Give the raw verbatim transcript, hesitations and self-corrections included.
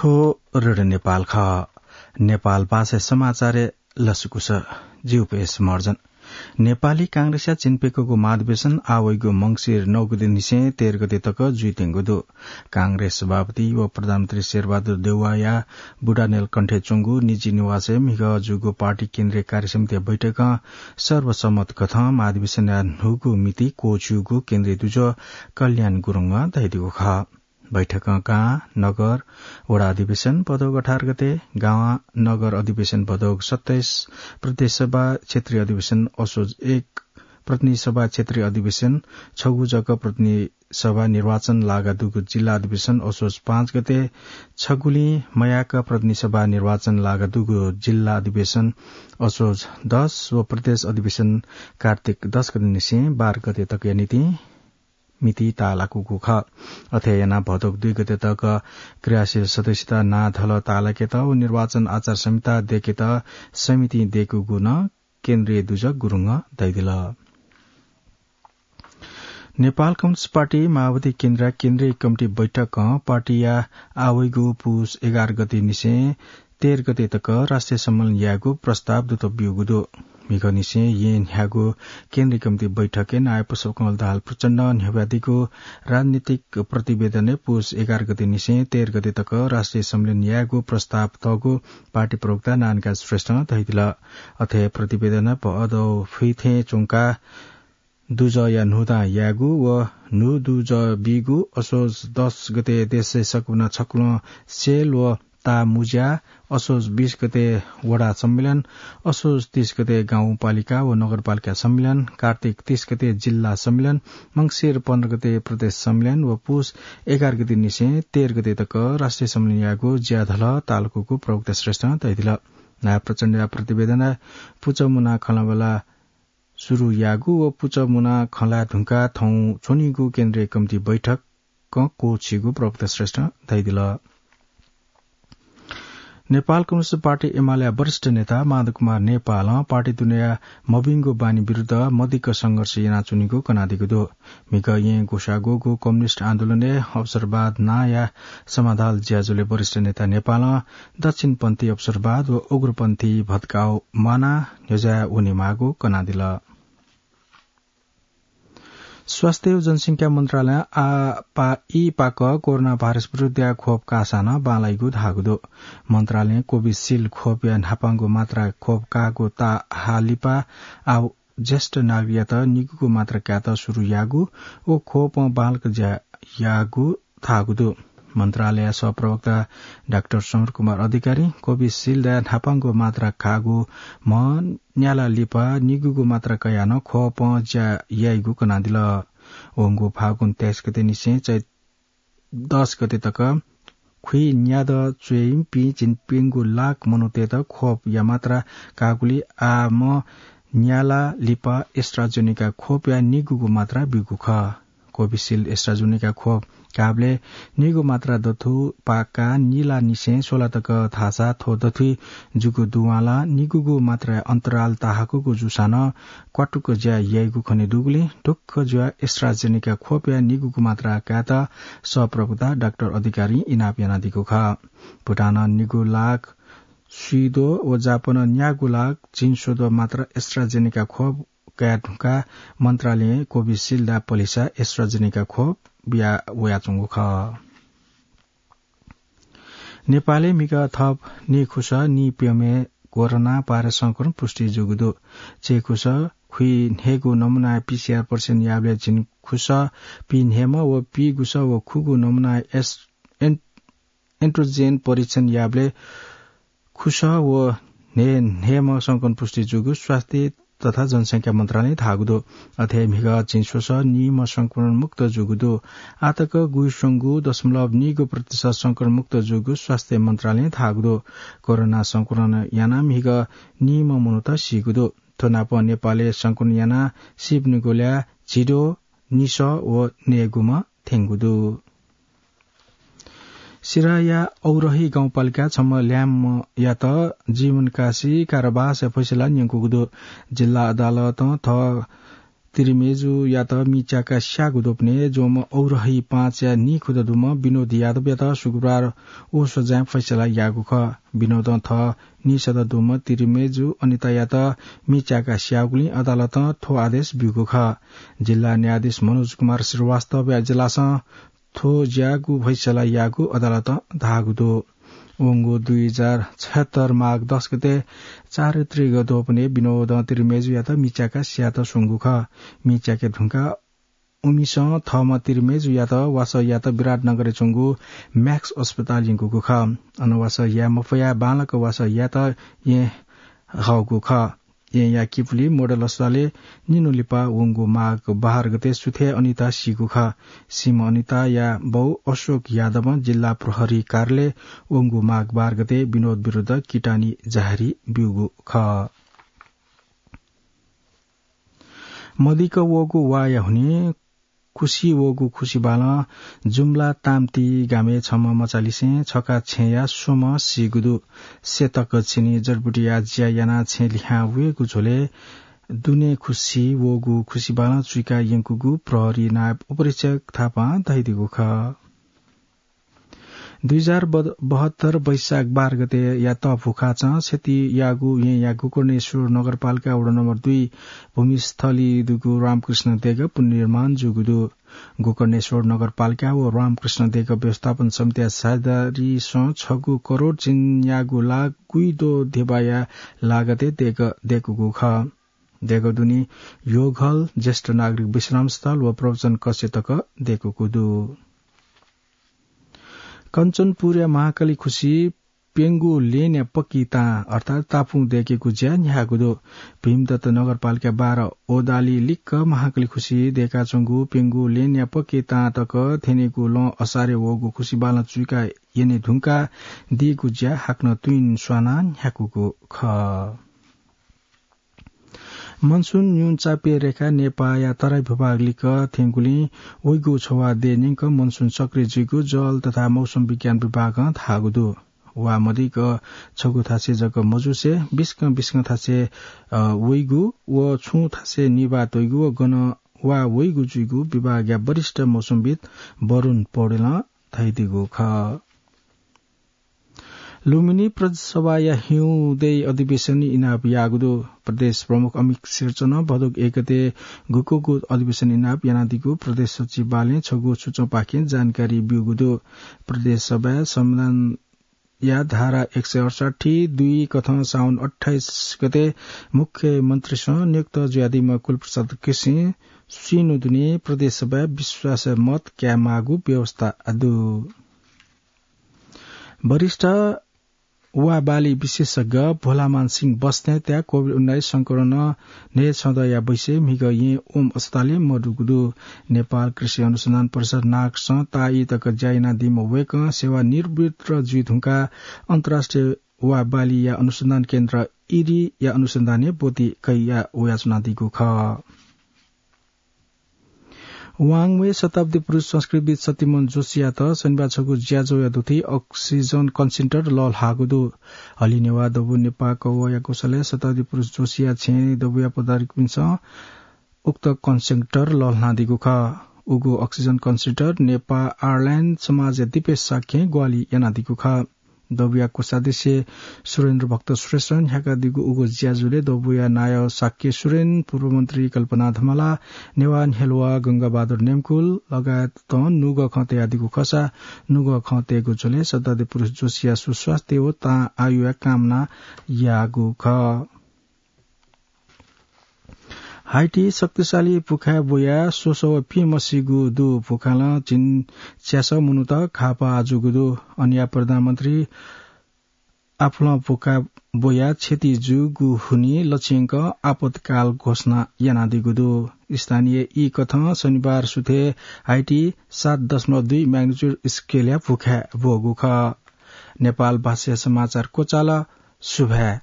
थ्व रेडियो नेपाल खः। नेपाल भाषा समाचारय् लसकुस। जि उपेश महर्जन। नेपाली कांग्रेसया चिन्प्यकःगु महाधिवेशन आवइगु मंसिर नौ गते निसें तेह्र गते तक जुइत्यंगु दु। कांग्रेस सभापति व प्रधानमन्त्री शेरबहादुर देउवाया बुढानेलकण्ठय् च्वंगु निजी निवासय् म्हिगः जूगु पार्टी केन्द्रीय कार्यसमितिया बैठकं सर्वसम्मत कथं महाधिवेशनया न्हूगु मिति क्वःछिउगु केन्द्रीय दुजः कल्याण गुरुङं धयादीगु खः। बैठकं गां, नगर, वडा अधिवेशन भदौग अठार गते, गां, नगर अधिवेशन भदौग सत्ताइस, प्रदेश सभा क्षेत्रीय अधिवेशन असोज एक, प्रतिनिधि सभा क्षेत्रीय अधिवेशन छगू जक, प्रतिनिधि सभा निर्वाचन लागा दुगु जिल्ला अधिवेशन असोज पाँच गते, छगुलिं मयाक प्रतिनिधि सभा निर्वाचन लागा दुगु जिल्ला अधिवेशन असोज दस व प्रदेश अधिवेशन कार्तिक दस गते निसें बाह्र गते तकया निंतिं मिति ताःलाकूगु खः। अथे यानाः भदौग दुई गते तक क्रियाशील सदस्यता नां धलः ताःलाकेत व निर्वाचन आचार संहिता दय्केत समितिं दय्कूगु नं केन्द्रीय दुजः गुरुङं धयादिल। नेपाल कम्युनिस्ट पार्टी माओवादी केन्द्रया केन्द्रीय कमिटी बैठकं पार्टीया आवइगु पुस एघार गते निसें तेह्र गते तक राष्ट्रिय सम्मेलन यायेगु प्रस्ताव दुत ब्यूगु दु। म्हिगः निसें येँ न्ह्याःगु केन्द्रीय कमिटी बैठकय् नायः पुष्पकमल दाहाल प्रचण्डं न्ह्यब्वयादीगु राजनीतिक प्रतिवेदनय् पुस एघार गते निसें तेह्र गते तक राष्ट्रिय सम्मेलन यायेगु प्रस्ताव तःगु पार्टी प्रवक्ता नारायणकाजी श्रेष्ठं धयादिल। अथे प्रतिवेदनय् भदौ फुइथें च्वंकाः दुजःया न्हूदां यायेगु व न्हू दुजः बीगु, असोज दस गते देशय् सकभनं छकुलं सेल व ताः मुज्या, असोज बीस गते वडा सम्मेलन, असोज तीस गते गाउँपालिका व नगरपालिका सम्मेलन, कार्तिक तीस गते जिल्ला सम्मेलन, मंसिर पन्ध्र गते प्रदेश सम्मेलन व पुस एघार गते निसें तेह्र गते तक राष्ट्रिय सम्मेलन यायेगु ज्याधलः ताःलाकूगु प्रवक्ता श्रेष्ठं धयादिल। नायः प्रचण्डया प्रतिवेदनय् पुचः मुनाः खँल्हाबल्हा सुरु याःगु व पुचः मुनाः खँल्हाये धुंकाः थौं च्वनीगु केन्द्रीय कमिटी बैठकं क्वःछिइगु प्रवक्ता श्रेष्ठं धयादिल। नेपाल कम्युनिस्ट पार्टी एमालेया वरिष्ठ नेता माधव कुमार नेपालं पार्टी दुनेया मभिंगु बानी विरुद्ध मदिक्क संघर्ष यानाच्वनीगु कनादीगु दु। म्हिगः येँ ग्वसाः ग्वःगु कम्युनिस्ट आन्दोलनय् अवसरवाद नांया समाधाल ज्याझ्वलय् वरिष्ठ नेता नेपालं दक्षिणपन्थी अवसरवाद व उग्रपन्थी भत्काव म्वानाः न्ह्यज्याये वनेमाःगु कनादिल। स्वास्थ्य व जनसंख्या मन्त्रालयं आ पा ई पाक कोरोना भाइरस विरुद्धया खोप काःसां नं बांलाइगु धाःगु दु। मन्त्रालयं कोभिसिल्ड खोपया न्हापांगु मात्रा खोप काःगु ताःहाः लिपा आः ज्येष्ठ नागरिकयात निगूगु मात्रा कायेत सुरु याःगु व खोपं बांलाक ज्या याःगु धाःगु दु। मन्त्रालयया सहप्रवक्ता डाक्टर समर कुमार अधिकारीं कोभिसिल्डया न्हापांगु मात्रा काःगु म्ह न्याला लिपा निगूगु मात्रा कयाः नं खोपं ज्या याइगु कनादिल। वंगु फागुन तेइस गते निसें चैत दस गते तक खुइन्यादँ च्वय्‌म्हपिं झिंप्यंगू लाख मनूतय्‌त खोपया मात्रा काःगुलिं आः म्ह न्याला लिपा AstraZeneca खोपया निगूगु मात्रा ब्यूगु खः। कोभिसिल्ड AstraZeneca खोप काःबलय् निगू मात्रा दथुइ पाकाः निलानिसें स्वला तक धाःसा थ्व दथुइ जूगु दुवांलाः निगूगु मात्राया अन्तराल ताहाकूगु जूसां नं क्वातुक ज्या याइगु खनेदुगुलिं ढुक्क जुयाः AstraZeneca खोपया निगूगु मात्रा कायेत सहप्रवक्ता डाक्टर अधिकारीं इनाप यानादीगु खः। भुटानं निगू लाख स्वीद्वः व जापानं न्यागू लाख झिंस्वद्वः मात्रा AstraZeneca खोप कयाः धुंकाः मन्त्रालयं कोभिसिल्डया पलिसा AstraZeneca खोप बिया वयाच्वंगु खः। नेपालय् म्हिगः थप नीखुसः नीप्यम्ह कोरोना भाइरस संक्रमण पुष्टि जूगु दु। चय्‌खुसः खुइन्हय्‌गू नमुनाय् PCR परीक्षण याःबलय् झिंखुसः पीन्हय्‌म्ह व पीगुसः व खुगू नमुनाय् एस-, एन-, एन्टिजेन परीक्षण याःबलय् खुसः व न्हय्‌न्हय्‌म्ह संक्रमण पुष्टि जूगु स्वास्थ्य तथा जनसंख्या मन्त्रालयं धाःगु दु। अथे हे म्हिगः झिंस्वसः नीम्ह संक्रमण मुक्त जूगु दु। आःतक गुइस्वंगू दशमलव नीगू प्रतिशत संक्रमण मुक्त जूगु स्वास्थ्य मन्त्रालयं धाःगु दु। कोरोना संक्रमण यानाः म्हिगः नीम्ह मनूत सीगु दु। थ्व नाप नेपालय् संक्रमण यानाः सीपिनिगु ल्याः झिद्वः, निसः व नयेगुम्ह थ्यंगु दु। सिराया औरही गाउँपालिका छम्ह ल्याय्‌म्हयात जीवनकाशी कारावासया फैसला न्यंकूगु दु। जिल्ला अदालतं थः तिरिमेजुयात मिच्याका स्याःगु द्वपने ज्वंम्ह औरही पाँचया नीखुद दुम्ह विनोद यादवयात शुक्रबार ओस्वजाँय् फैसला याःगु खः। विनोदं थः नीसद दुम्ह तिरिमेजु अनितायात मिच्याका स्याःगुलिं अदालतं थ्व आदेश ब्यूगु खः। जिल्ला न्यायाधीश मनोज कुमार श्रीवास्तवया इजलासं थ्व ज्यागु फैसला याःगु अदालतं धाःगु दु। वंगु दुई हजार छयत्तर माघ दस गते चारित्रिक द्वपने विनोदं तिरिमेजुयात मिच्याका स्यायेत स्वंगु खः। मिच्याके धुंकाः उमिसं थःम्ह तिरिमेजुयात वासः यायेत विराटनगरय् च्वंगु म्याक्स अस्पताल यंकूगु खः। अन वासः याये मफयाः बांलाक वासः यायेत येँ हःगु खः। येँया किपुली मोडल अस्पतालय् निन्हु लिपा वंगु माघ बाह्र गते सुथय् अनिता सीगु खः। सीम्ह अनिताया बौ अशोक यादवं जिल्ला प्रहरी कार्यालयय् वंगु माघ बाह्र गते विनोद विरुद्ध किटानी जाहेरी ब्यूगु खः। मदिक्क वःगु वाःया हुनिं खुसि वःगु खुसिबालं जुम्ला ताम्ति गामय् छम्ह मचालिसें छखा छेँया स्वम्ह सीगु दु। सेतक छिनि जडीबुटीया ज्या यानाः छेँ लिहां वयेगु झ्वलय् दुने खुसि वःगु खुसिबालं चुइका यंकूगु प्रहरी नायब उपरीक्षक थापां धयादीगु खः। दुई हजार बहत्तर वैशाख बाह्र गतेया तःभुखाचं क्षति याःगु येँया गोकर्णेश्वर नगरपालिका वडा नम्बर दुई भूमिस्थली दुगु रामकृष्ण देगः पुनर्निर्माण जूगु दु। गोकर्णेश्वर नगरपालिका व रामकृष्ण देगः व्यवस्थापन समितिया साझेदारीसं छगू करोड चिन्यागु लाख गुइदो धेबाया लागतय् देगः दय्कूगु खः। देगः दुने योगहल, ज्येष्ठ नागरिक विश्रामस्थल व प्रवचन कक्ष तक दय्कूगु दु। कञ्चनपुरया महाकाली खुसि प्यंगू लेनया पक्की तां अर्थात् तापुं दय्केगु ज्या न्ह्याःगु दु। भीमदत्त नगरपालिका बाह्र ओदाली लिक्क महाकाली खुसि दय्काच्वंगु प्यंगू लेनया पक्की तां तक थ्यनेगु लँ असारय् वःगु खुसिबालं चुइका यने धुंकाः दीगु ज्या हाकनं तुइन स्वानाः न्ह्याकूगु खः। मनसुन न्यूनचापीय रेखा नेपाःया तराई भूभाग लिक्क थ्यंगुलिं वइगु छवाः देय् न्यंक मनसुन सक्रिय जुइगु जल तथा मौसम विज्ञान विभागं धाःगु दु। वा मदिक्क छगू थासय् जक मजुसे बिस्कं बिस्कं थासय्, अ, वइगु व छुं थासय् निभाः त्वइगु व गन वा वइगु जुइगु विभागया वरिष्ठ मौसमविद् वरुण पौडेलं धयादीगु खः। लुम्बिनी प्रदेशसभाया हिउँदय् अधिवेशन इनाप याःगु दु। प्रदेश प्रमुख अमित शेरचनं भदौ एक गते गुकगु अधिवेशन इनाप यानादीगु प्रदेश सचिवालयं छगू सूचकपाखें जानकारी ब्यूगु दु। प्रदेशसभाय् संविधानया धारा एक सय अठसट्ठी दुई कथं साउन अट्ठाइस गते मुख्यमन्त्रीसं नियुक्त जुयादीम्ह कुलप्रसाद केसीं स्वीन्हु दुने प्रदेशसभाय् विश्वास मत कायेमाःगु व्यवस्था दु। वरिष्ठ वा बाली विशेषज्ञ भोलामान सिंह बस्नेतया कोभिड उन्नाइस संक्रमणं न्हय्छदँया बैसय् म्हिगः येँ ओम अस्पतालय् मदुगु दु। नेपाल कृषि अनुसन्धान परिषद नाकसं ताःई तक ज्या यानादीम्ह वय्कः सेवानिवृत्त जुइ धुंकाः अन्तर्राष्ट्रिय वा बालीया अनुसन्धान केन्द्र इरीया अनुसन्धानय् ब्वति कयाः वयाच्वनादीगु खः। वांगमय् शताब्दी पुरुष संस्कृतिविद् सत्यमोहन जोशीयात शनिबार छगू ज्याझ्वःया दुथुइ अक्सिजन कन्सेन्ट्रेटर लःल्हाःगु दु। हलिं नेवाः दबू नेपाः कवःया ग्वसालय् शताब्दी पुरुष जोशीया छेँय् दबूया पदाधिकारीपिन्सं उक्त कन्सेन्ट्रेटर लःल्हानादीगु खः। उगु अक्सिजन कन्सेन्ट्रेटर नेपाः आयरल्याण्ड समाजया दिपेश शाक्यं ग्वाहालि यानादीगु खः। दबूया कोषाध्यक्ष सुरेन्द्र भक्त श्रेष्ठं न्ह्याकादीगु उगु ज्याझ्वलय् दबूया नायः शाक्य सुरेन, पूर्वमन्त्री कल्पना धमला, नेवाः न्ह्यलुवा गंगाबहादुर नेमकुल लगायतं नुगः खँ तयादीगु खःसा नुगः खँ तयेगु झ्वलय् शताब्दी पुरुष जोशीया सुस्वास्थ्य व तां आयुया कामना याःगु खः। हाइटी शक्तिशाली भुखाय् ब्वयाः स्वसः व पिं मसीगु दु। भुखालं झिंच्यासः मनूत घाःपाः जूगु दु। अनया प्रधानमन्त्री आफूलं भुखाय् ब्वयाः क्षति जूगु हुनिं लछिंक आपतकाल घोषणा यानादीगु दु। स्थानीय ई कथं शनिबार सुथय् हाइटी सात दशमलव दुई magnitude स्केलया भुखाय् ब्वःगु खः। नेपाल भाषाया समाचार क्वचाल। सुभाय्।